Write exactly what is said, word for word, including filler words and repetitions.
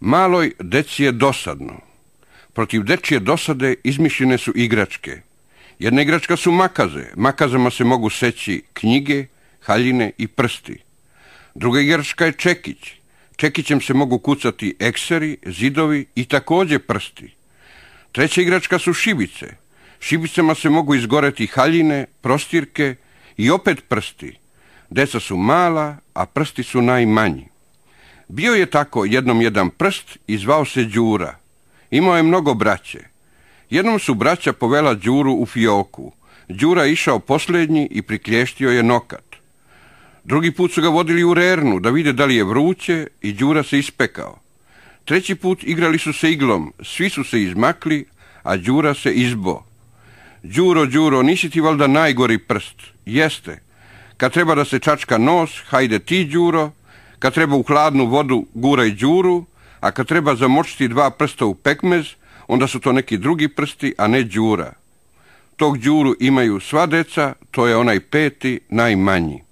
Maloj deci je dosadno. Protiv dečije dosade izmišljene su igračke. Jedna igračka su makaze. Makazama se mogu seći knjige, haljine i prsti. Druga igračka je čekić. Čekićem se mogu kucati ekseri, zidovi i također prsti. Treća igračka su šibice. Šibicama se mogu izgoreti haljine, prostirke i opet prsti. Deca su mala, a prsti su najmanji. Bio je tako jednom jedan prst i zvao se Đura. Imao je mnogo braće. Jednom su braća povela Đuru u fioku. Đura išao posljednji i priklještio je nokat. Drugi put su ga vodili u rernu da vide da li je vruće i Đura se ispekao. Treći put igrali su se iglom, svi su se izmakli, a Đura se izbo. Đuro, Đuro, nisi ti valjda najgori prst? Jeste. Kad treba da se čačka nos, hajde ti, Đuro. Kad treba u hladnu vodu, guraj Đuru. A kad treba zamočiti dva prsta u pekmez, onda su to neki drugi prsti, a ne Đura. Tog Đuru imaju sva deca, to je onaj peti, najmanji.